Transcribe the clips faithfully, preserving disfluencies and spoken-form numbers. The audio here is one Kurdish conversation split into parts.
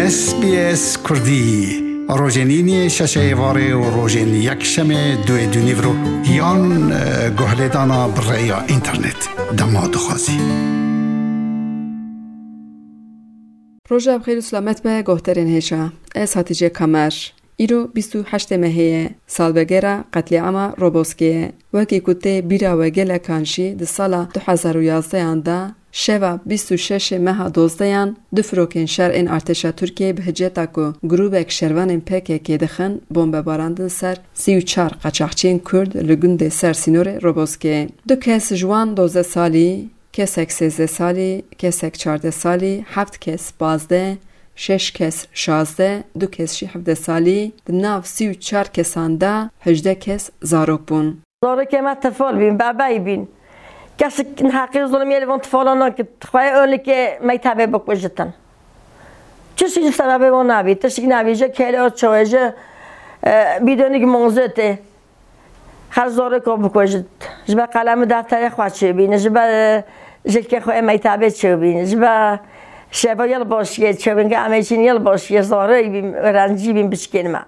S B S Kurdî, rojên îniyê şeşê êvarê û rojên yekşemê duê dûnîvro yan, e, guhlêdana bi rêya înternet. Dema dixwazî. Roja bi xêr û selamet be, guhdarên hêja. Ez Hatice Kamer. Îro bîst û heştê mehê ye, salvegera qetlîama Roboskê ye. Wekî ku tê bîra we gelekan jî, di sala du hezar û yazdehan de, şeva bîst û şeşê meha dozdehan, du firokên şer ên artêşa Tirkiyeyê bi hiceta ku grûbek şervanên P K K dixin, bombe barandin ser sî û çar qaçaxçiyên Kurd li gundê ser sînorê Roboskê. Du kes ji wan dozdeh salî, kesek sêzdeh salî, kesek çardeh salî, heft kes pazdeh, şeş kes şazdeh, du kes jî hevdeh salî, di nav sî û çar kesan de hejdeh kes zarok bûn. Zarokê me tifal bîn, bebey bîn. Kesik neheqî zulmiyê li van tifalan nakir. Xweye û li kê meytebê bikujitin. Çi şî sebebê wan nabî, tiştik nabî, ji kêlê û çawê, ji, e, bîdonik mozotê. Her zarokê bikujit. Ji ber qelem û defterê xwe çêbîne, ji ber, e, jilkê xwe ê meytebê çêbîne, ji ber şeva yel başiyê çêbîne, ke em ê çîn yel başiyê zarê bîn, rencî bîn biçkên me.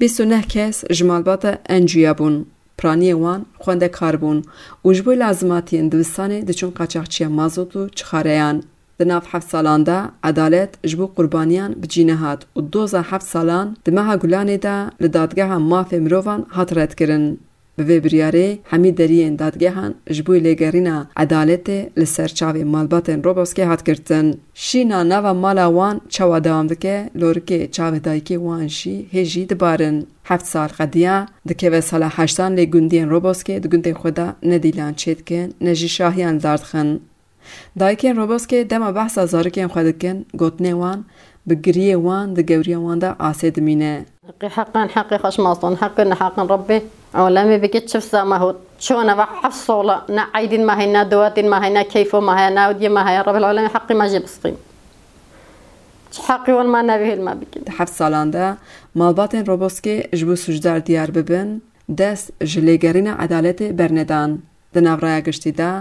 Bîst û neh kes ji malbata Encûya bûn. Piraniyê wan xwendekar bûn û ji bo lazimatiyên dibistanê diçûn qaçaxçiya mazot û çixareyan. Di nav heft salan de edalet ji bo qurbaniyan bi cî nehat û doza heft salan di meha Gulanê de li Dadgeha Mafê Mirovan hat redkirin. Bi vê biryarê hemî deriyên dadgehan ji bo lêgerîna edaletê li ser çavê malbatên Roboskê hat girtin. Şîna nava mala wan çawa dewam dike, lorikê çavê dayikê wan jî hê jî dibarin. Heft sal qediya, dikeve sala heştan lê gundiyên Roboskê di gundên xwe de ne dîlan çêdikin, ne jî şahiyan li dar dixin. Dayikên Roboskê dema behsa zarokên xwe dikin, gotinê wan bi giriyê wan di gewriya wan de asê dimîne. Heqê heqan, heqê xweşmazdan, heqê neheqan Rebbê alemê bike çift zama hot. Çona ve heft sola ne eydîn me heyna, duwatîn me heyna, keyfo me heye, ne ewdiyê me heye, Rebbel alemê heqê me jê bisqîn. Çi heqê wan me nevihêl me bikin. Di heft salan de malbatên Roboskê ji bo sûcdar diyar bibin, dest ji lêgerîna edaletê bernedan. Di nav raya giştî de,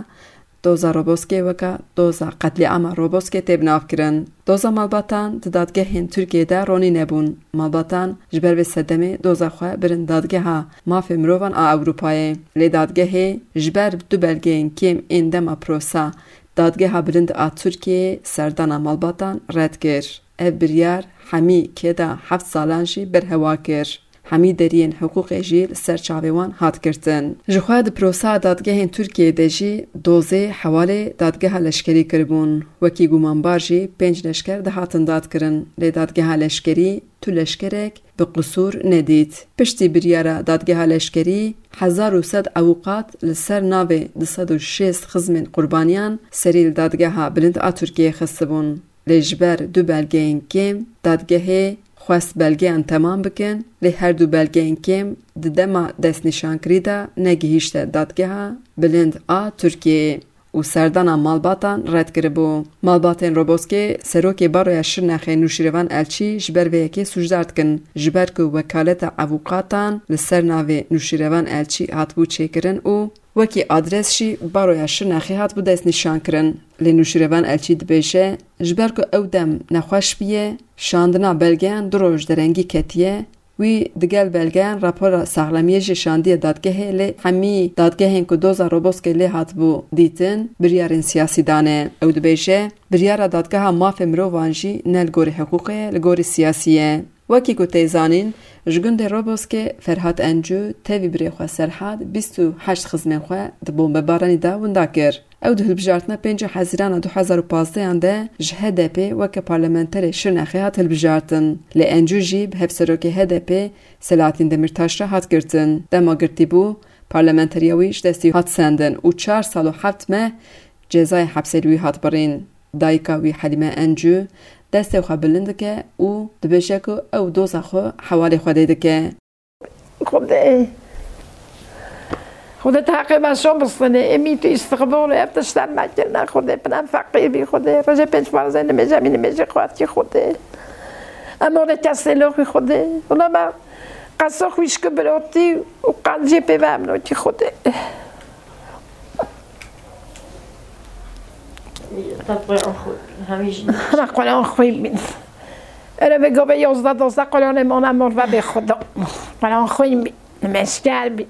doza Roboskê weke doza qetlîama Roboskê tê binavkirin. Doza malbatan di dadgehên Tirkiyê de ronî nebûn. Malbatan ji ber vê sedemê doza xwe birin Dadgeha Mafê Mirovan a Ewropayê. Lê dadgehê ji ber du belgeyên kêm ên dema prosa Dadgeha Bilind a Tirkiyeyê serdana malbatan red kir. Ev biryar hemî kêda heft salan jî berhewa kir. Hemî deriyên hiqûqê jî li ser çavê wan hat girtin. Jixwe di proseya dadgehên Tirkiyeyê de jî dozê hewalê dadgeha leşkerî kiribûn. Wekî gumanbar jî pênc leşker dihatin dadkirin, lê dadgeha leşkerî tu leşkerek bi qisûr nedît. Piştî biryara dadgeha leşkerî, hezar û sed ewqat li ser navê du sed û şêst xizmên qurbaniyan serî li Dadgeha Bilind a Tirkiyeyê xistibûn. Lê ji ber du belgeyên kêm dadgehê xwest belgeyan temam bikin, lê her du belgeyên kêm di dema destnîşankirî de negihîşte Dadgeha Bilind a Tirkiyeyê û serdana malbatan red kiribû. Malbatên Roboskê serokê Baroya Şirnexê Nûşîrevan Elçî ji ber vê yekê sûcdar dikin, ji ber ku wekaleta avûkatan li ser navê Nûşîrevan Elçî hatibû çêkirin û wekî adres jî Baroya Şirnexê hatibû destnîşankirin. Lê Nûşîrevan Elçî dibêje, ji ber ku ew dem nexweş bûye, şandina belgeyan du roj derengî ketiye, wî digel belgeyan rapora saxlemiyê jî şandiye dadgehê, lê hemî dadgehên ku doza Roboskê lê hatibû dîtin, biryarên siyasî dane. Ew dibêje, biryara Dadgeha Mafê Mirovan jî ne li gorî hiqûqê ye, li gorî siyasî ye. Wekî ku tê zanîn, ji gundê Roboskê Ferhat Encû tevî birê xwe Serhat bîst û heşt xizmên xwe di bombebaranî de winda kir. Ew di hilbijartina pêncî Hezîrana du hezar û pazdehan de ji H D P weke parlamenterê Şirnexê hat hilbijartin. Lê Encû jî bi hevserokê H D P Selahattin Demirtaş re hat girtin. Dema girtî bû, parlamenteriya wî ji destî hat sendin û çar sal û heft meh cezayê hepsê li wî hat birîn. Dayika wî Helîme Encû destê xwe bilind dike û dibêje ku ew doza xwe hewalê Xwedê dike. Xwedê, Xwedê tu heqê me şo bistine, êmî tu îstiqbol û ev tiştan me kirine, Xwedê pina em feqîr bî, Xwedê rojê pênc parzê nimêje, mî nimêje xwatkî Xwedê. Em orê kesê loxî Xwedê. Wila me qeso xwîşk û birotî û qanciyê pê ve em nokî Xwedê. Hema Quran xwî bin. Erê vê gavê yozda dozda kolonê mona mor ve bê xwe da. Kolon xwîn bî, nimêşker bî.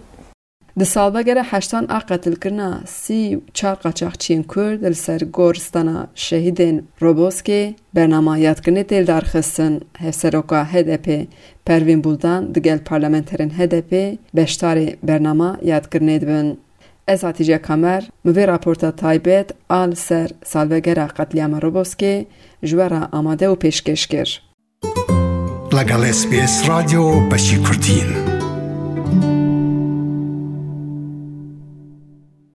Di salvegera heştan a qetilkirina sî û çar qaçaxçiyên Kurd li ser goristana şehîdên Roboskê bernama yadkirinê tê lidarxistin. Hevseroka H D P Pervîn Buldan digel parlamenterên H D P beşdarê bernama yadkirinê dibin. Ez Hatice Kamer, min vê raporta taybet a li ser salvegera qetlîama Roboskê ji we re amade û pêşkêş kir. لەگەڵ S B S رادیۆ بەشی کوردین.